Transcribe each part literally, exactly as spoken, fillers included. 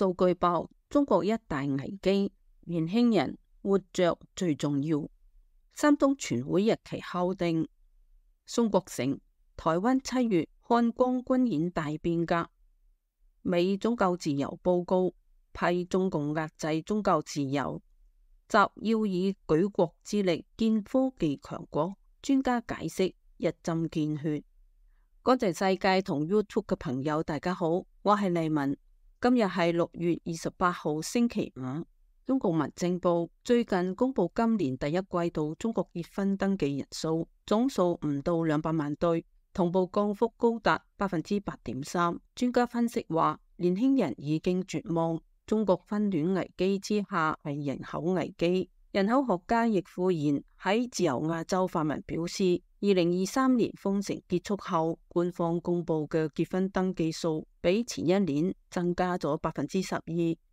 數據爆中國一大危機，年輕人活着最重要。三中全會日期敲定。宋國成，台灣七月漢光軍演大變革。美宗教自由報告批中共壓制宗教自由，習要以舉國之力建科技強國。專家解釋一針見血。國際世界同 YouTube 嘅朋友大家好，我係麗文。今日係六月二十八號星期五。中共民政部最近公布今年第一季度中國結婚登記人數總數唔到兩百萬對，同步降幅高達百分之八點三。專家分析話，年輕人已經絕望，中國婚戀危機之下係人口危機。人口學家易富賢喺自由亞洲發文表示，二零二三年封城結束後，官方公布嘅結婚登記數比前一年增加咗百分之十二，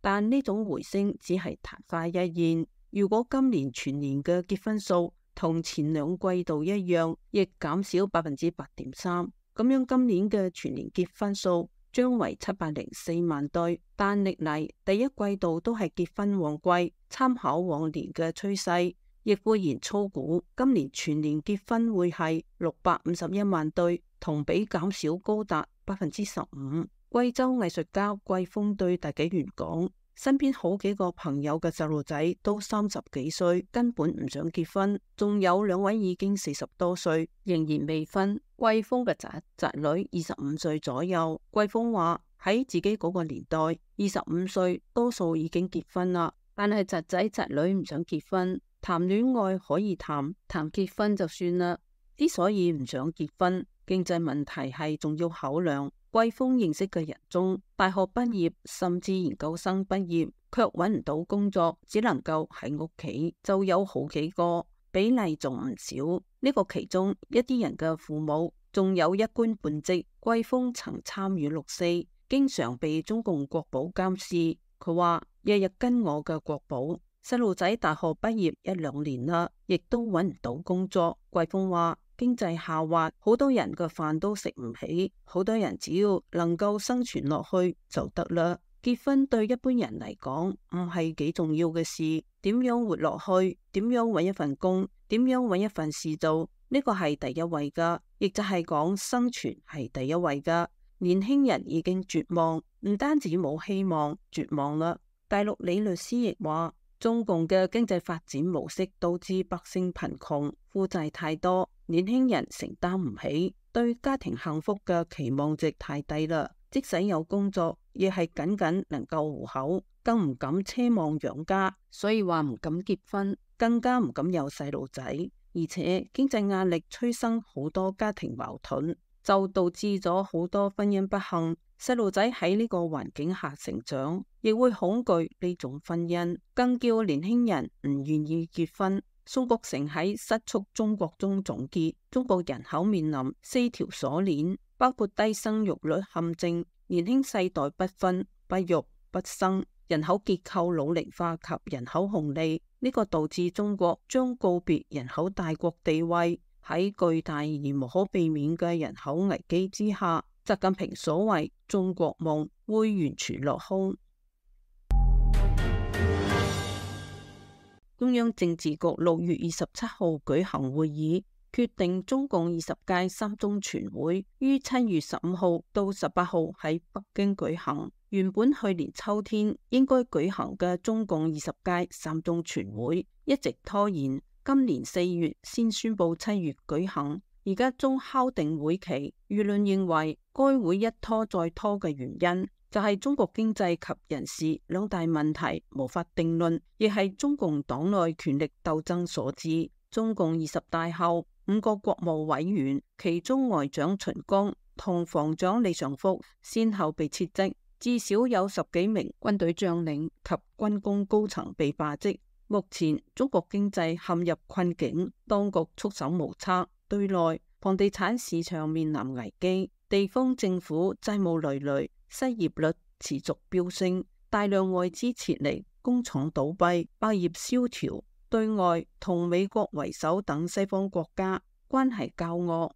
但呢種回升只係曇花一現。如果今年全年嘅結婚數同前兩季度一樣，亦減少百分之八點三，咁樣今年嘅全年結婚數將為七百零四萬對，但歷嚟第一季度都係結婚旺季，參考往年嘅趨勢，易富賢粗估今年全年結婚會係六百五十一萬對，同比減少高達百分之十五。貴州藝術家季峰對大紀元講，身邊好幾個朋友嘅細路仔都三十幾歲，根本唔想結婚，仲有兩位已經四十多歲，仍然未婚。季峰嘅侄侄女二十五歲左右。季峰話喺自己嗰個年代，二十五歲多數已經結婚啦，但係侄仔侄女唔想結婚，談戀愛可以談，談結婚就算啦。之所以唔想結婚，經濟問題係重要考量。季峰認識嘅人中，大學畢業甚至研究生畢業卻揾唔到工作，只能夠喺屋企，就有好幾個，比例仲唔少。呢個其中一啲人嘅父母仲有一官半職。季峰曾參與六四，經常被中共國保監視。佢話日日跟我嘅國保，細路仔大學畢業一兩年啦，亦都揾唔到工作。季峰話經濟下滑，好多人嘅飯都食唔起，好多人只要能夠生存落去就得啦。結婚對一般人嚟講唔係幾重要嘅事，點樣活落去，點樣揾一份工，點樣揾一份事做，呢個係第一位噶，亦就係講生存係第一位噶。年輕人已經絕望，唔單止冇希望，絕望啦。大陸李律師亦話，中共嘅經濟發展模式導致百姓貧窮，負債太多，年輕人承擔唔起，對家庭幸福嘅期望值太低啦。即使有工作，亦係僅僅能夠糊口，更唔敢奢望養家，所以話唔敢結婚，更加唔敢有細路仔。而且經濟壓力催生好多家庭矛盾，就導致咗好多婚姻不幸。細路仔喺呢個環境下成長，亦會恐懼呢種婚姻，更叫年輕人唔願意結婚。宋國成喺《失速中國》中總結，中國人口面臨四條鎖鏈，包括低生育率陷阱、年輕世代不婚不育不生、人口結構老齡化及人口紅利。呢個導致中國將告別人口大國地位。喺巨大而無可避免嘅人口危機之下，習近平所謂中國夢會完全落空。中央政治局六月二十七號舉行會議，決定中共二十屆三中全會於七月十五號到十八號喺北京舉行。原本去年秋天應該舉行嘅中共二十屆三中全會一直拖延，今年四月先宣布七月舉行，而家終敲定會期。輿論認為該會一拖再拖嘅原因就係中國經濟及人事兩大問題無法定論，亦係中共黨內權力鬥爭所致。中共二十大後，五個國務委員，其中外長秦剛同防長李尚福先後被撤職，至少有十幾名軍隊將領及軍工高層被罷職。目前中國經濟陷入困境，當局束手無策。對內，房地產市場面臨危機，地方政府債務累累，失業率持續飆升，大量外資撤離，工廠倒閉，百業蕭條。對外同美國為首等西方國家關係交惡。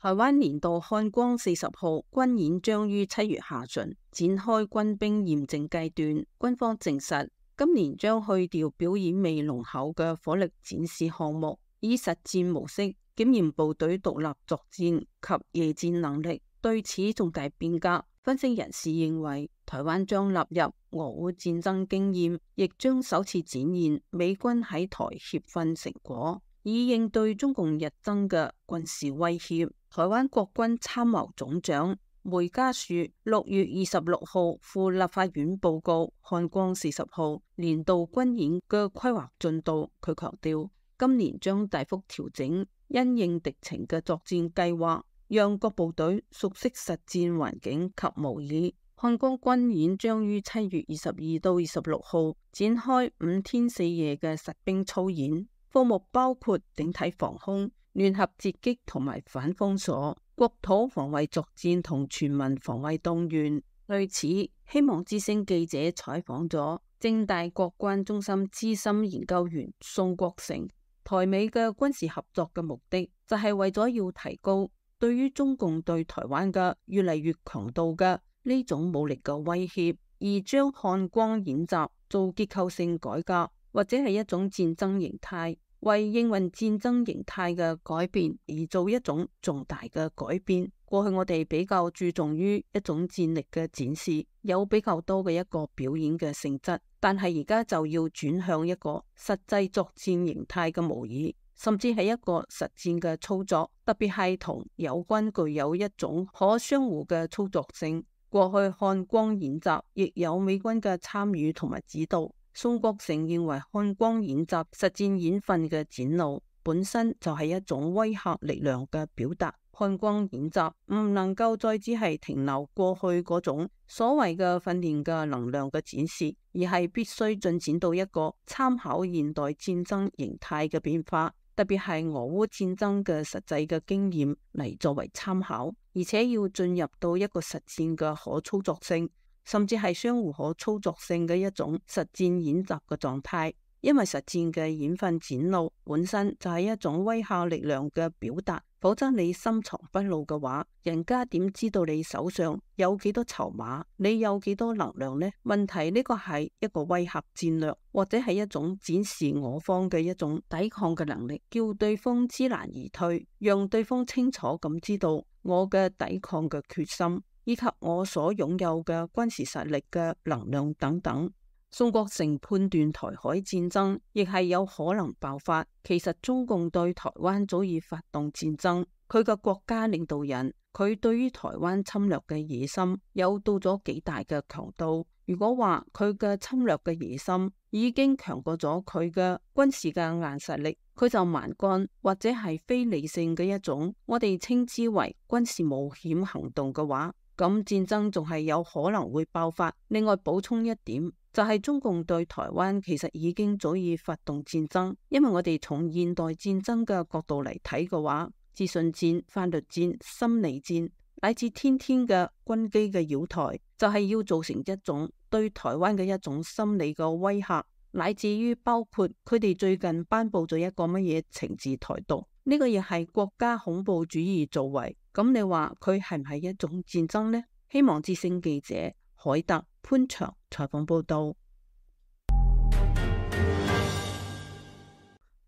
台灣年度漢光四十號軍演將於七月下旬展開軍兵驗證階段，軍方證實今年將去掉表演味濃厚嘅火力展示項目，以實戰模式檢驗部隊獨立作戰及夜戰能力。對此重大變革，分析人士認為，台灣將納入俄烏戰爭經驗，亦將首次展現美軍喺台協訓成果，以應對中共日增嘅軍事威脅。台灣國軍參謀總長梅家樹六月二十六號赴立法院報告漢光四十號年度軍演嘅規劃進度。佢強調，今年將大幅調整因應敵情嘅作戰計劃，讓各部隊熟悉實戰環境及模擬。漢光軍演將於七月二十二到二十六號展開五天四夜嘅實兵操演，科目包括整體防空、聯合截擊同埋反封鎖、國土防衛作戰同全民防衛動員。對此，希望之聲記者採訪咗政大國關中心資深研究員宋國成。台美嘅軍事合作嘅目的就係為咗要提高對於中共對台灣嘅越嚟越強度嘅呢種武力嘅威脅，而將漢光演習做結構性改革，或者係一種戰爭形態，為應運戰爭形態嘅改變而做一種重大嘅改變。過去我哋比較注重於一種戰力嘅展示，有比較多嘅一個表演嘅性質，但係而家就要轉向一個實際作戰形態嘅模擬，甚至係一個實戰嘅操作，特別係同友軍具有一種可相互嘅操作性。過去漢光演習亦有美軍嘅參與同埋指導。宋國成認為，漢光演習實戰演訓嘅展露本身就係一種威嚇力量嘅表達。漢光演習唔能夠再只係停留過去嗰種所謂嘅訓練嘅能量嘅展示，而係必須進展到一個參考現代戰爭形態嘅變化，特別係俄烏戰爭嘅實際嘅經驗嚟作為參考，而且要進入到一個實戰嘅可操作性，甚至係相互可操作性嘅一種實戰演習嘅狀態。因為實戰嘅演訓展露本身就係一種威嚇力量嘅表達，否則你深藏不露嘅話，人家點知道你手上有幾多籌碼，你有幾多能量呢？問題呢個係一個威嚇戰略，或者係一種展示我方嘅一種抵抗嘅能力，叫對方知難而退，讓對方清楚咁知道我嘅抵抗嘅決心，以及我所擁有嘅軍事實力嘅能量等等。宋國成判斷台海戰爭亦係有可能爆發，其實中共對台灣早已發動戰爭，佢嘅國家領導人佢對於台灣侵略嘅野心有到咗幾大嘅強度。如果話佢嘅侵略嘅野心已經強過咗佢嘅軍事嘅硬實力，佢就蠻幹或者係非理性嘅一種，我哋稱之為軍事冒險行動嘅話，咁戰爭仲係有可能會爆發。另外補充一點，就係中共對台灣其實已經早已發動戰爭，因為我哋從現代戰爭嘅角度嚟睇嘅話，資訊戰、法律戰、心理戰，乃至天天嘅軍機嘅擾台，就係要造成一種對台灣嘅一種心理嘅威嚇，乃至於包括佢哋最近頒布咗一個乜嘢懲治台獨，呢個亦係國家恐怖主義作為。咁你話佢係唔係一種戰爭呢？希望之聲記者海特潘祥採訪報道。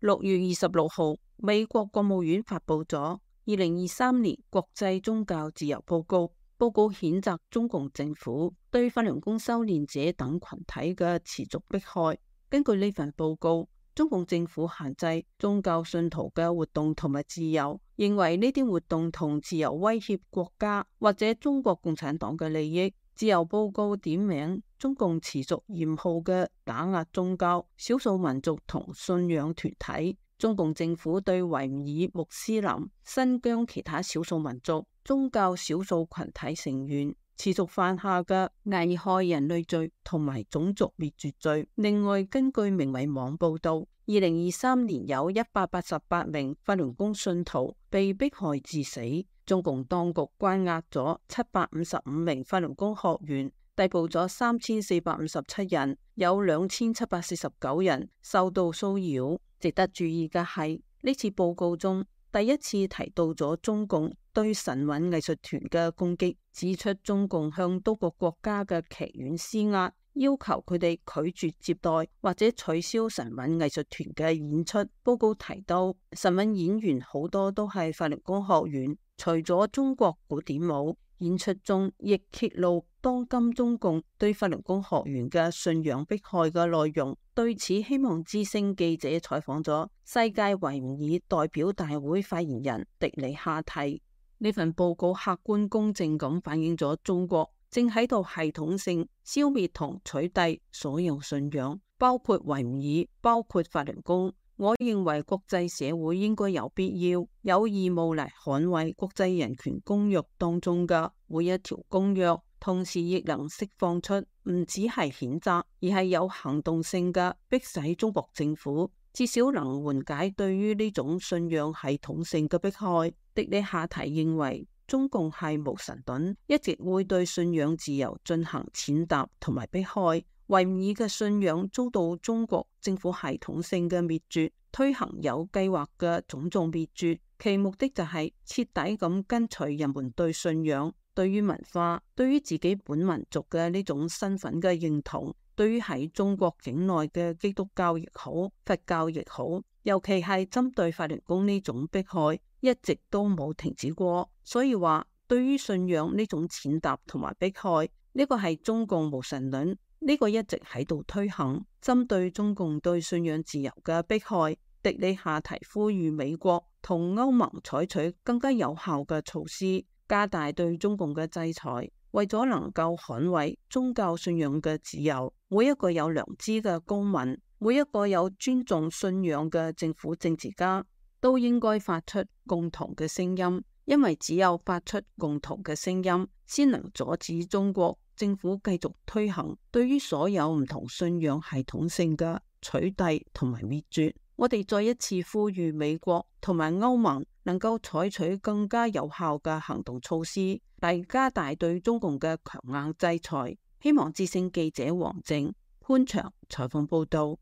六月二十六號，美國國務院發布咗二零二三年國際宗教自由報告，報告譴責中共政府對法輪功修煉者等群體嘅持續迫害。根據呢份報告，中共政府限制宗教信徒嘅活動同埋自由，認為呢啲活動同自由威脅國家或者中國共產黨嘅利益。自由報告點名中共持續嚴酷嘅打壓宗教、少數民族同信仰團體。中共政府對維吾爾、穆斯林、新疆其他少數民族、宗教少數群體成員持續犯下嘅危害人類罪同埋種族滅絕罪。另外，根據明慧網報道，二零二三年有一百八十八名法輪功信徒被迫害致死。中共當局關押咗七百五十五名法輪功學員，逮捕咗三千四百五十七人，有兩千七百四十九人受到騷擾。值得注意嘅係，呢次報告中第一次提到咗中共對神韻藝術團嘅攻擊，指出中共向多個國家嘅劇院施壓，要求佢哋拒絕接待或者取消神韻藝術團嘅演出。報告提到，神韻演員好多都係法輪功學員，除咗中國古典舞演出中，亦揭露當今中共對法輪功學員嘅信仰迫害嘅內容。對此，希望之聲記者採訪咗世界維吾爾代表大會發言人迪里哈提。呢份報告客觀公正咁反映咗中國正喺度系統性消滅同取締所有信仰，包括維吾爾，包括法輪功。我認為國際社會應該有必要、有義務嚟捍衛國際人權公約當中嘅每一條公約，同時亦能釋放出唔只係譴責，而係有行動性嘅迫使中國政府至少能緩解對於呢種信仰系統性嘅迫害。迪里哈提認為，中共係無神論，一直會對信仰自由進行踐踏同埋迫害。維吾爾嘅信仰遭到中國政府系統性嘅滅絕，推行有計劃嘅種種滅絕，其目的就係徹底咁跟隨人們對信仰、對於文化、對於自己本民族嘅呢種身份嘅認同，對於喺中國境內嘅基督教亦好、佛教亦好，尤其係針對法輪功呢種迫害，一直都冇停止過。所以話，對於信仰呢種踐踏同埋迫害，呢個係中共無神論。呢個一直喺度推行，針對中共對信仰自由嘅迫害，迪里哈提呼籲美國同歐盟採取更加有效嘅措施，加大對中共嘅制裁，為咗能夠捍衛宗教信仰嘅自由。每一個有良知嘅公民，每一個有尊重信仰嘅政府政治家，都應該發出共同嘅聲音，因為只有發出共同嘅聲音，先能阻止中國政府繼續推行對於所有唔同信仰系統性嘅取締同埋滅絕。我哋再一次呼籲美國同埋歐盟能夠採取更加有效嘅行動措施，嚟加大對中共嘅強硬制裁。希望之聲記者王靜潘長採訪報道。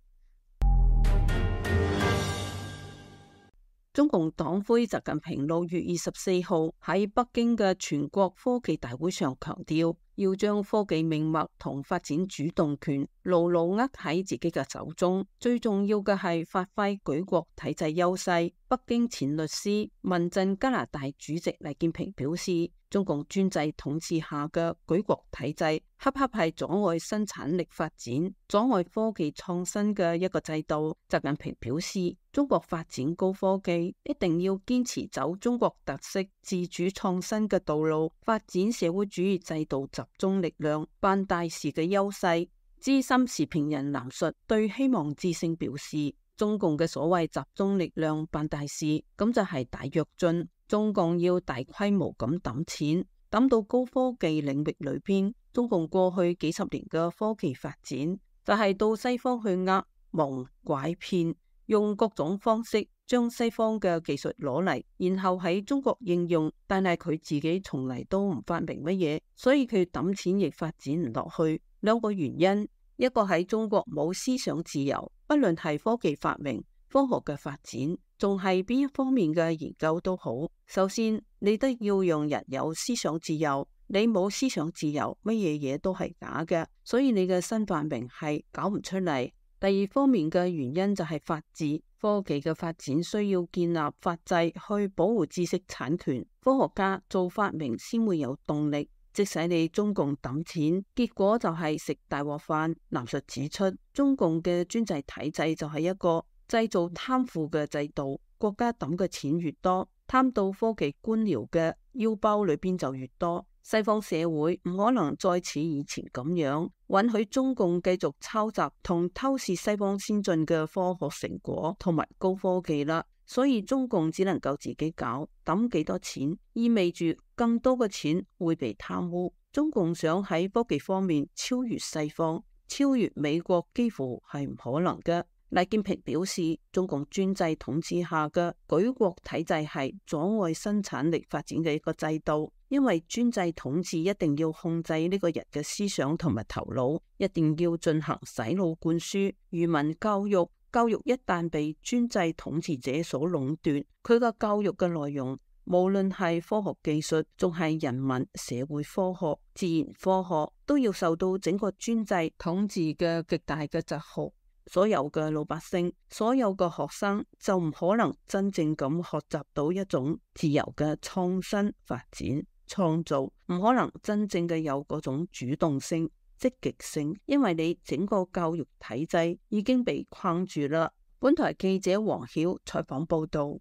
中共黨魁習近平六月二十四號喺北京嘅全國科技大會上強調，要將科技命脈同發展主動權牢牢握喺自己嘅手中，最重要嘅係發揮舉國體制優勢。北京前律師、民陣加拿大主席黎建平表示，中共專制統治下嘅舉國體制，恰恰係阻礙生產力發展、阻礙科技創新嘅一個制度。習近平表示，中國發展高科技一定要堅持走中國特色自主創新嘅道路，發展社會主義制度集中力量辦大事嘅優勢。資深時評人藍述對希望之聲表示，中共嘅所謂集中力量辦大事，咁就係大躍進。中共要大規模咁抌錢，抌到高科技領域裏邊。中共過去幾十年嘅科技發展，就係到西方去呃、蒙、拐、騙，用各種方式將西方嘅技術攞嚟，然後喺中國應用，但係佢自己從嚟都唔發明乜嘢，所以佢抌錢亦發展唔落去。兩個原因，一個喺中國冇思想自由，不論係科技發明、科學嘅發展，仲係邊一方面嘅研究都好。首先，你都要讓人有思想自由，你冇思想自由，乜嘢嘢都係假嘅，所以你嘅新發明係搞唔出嚟。第二方面嘅原因就係法治，科技嘅發展需要建立法制去保護知識產權，科學家做發明先會有動力。即使你中共抌錢，結果就係食大鍋飯。藍述指出，中共嘅專制體制就係一個製造貪腐嘅制度，國家抌嘅錢越多，貪到科技官僚嘅腰包裏邊就越多。西方社會唔可能再似以前咁樣允許中共繼續抄襲同偷竊西方先進嘅科學成果同埋高科技啦，所以中共只能夠自己搞，抌幾多錢意味住更多嘅錢會被貪污。中共想喺科技方面超越西方、超越美國，幾乎係唔可能嘅。黎建平表示，中共專制統治下嘅舉國體制係阻礙生產力發展嘅一個制度，因為專制統治一定要控制呢個人嘅思想同埋頭腦，一定要進行洗腦灌輸、愚民教育、教育一旦被專制統治者所壟斷，佢嘅教育嘅內容，無論係科學技術，仲係人文社會科學、自然科學，都要受到整個專制統治嘅極大嘅窒學。所有嘅老百姓，所有嘅學生就唔可能真正咁學習到一種自由嘅創新發展創造，唔可能真正嘅有嗰種主動性積極性，因為你整個教育體制已經被框住啦。本台記者黃曉採訪報道。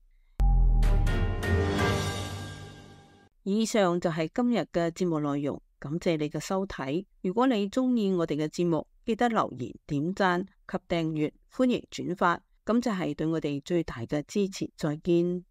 以上就係今日嘅節目內容，感謝你嘅收睇。如果你中意我哋嘅節目，記得留言、點讚及訂閱，歡迎轉發，咁就係對我哋最大嘅支持。再見。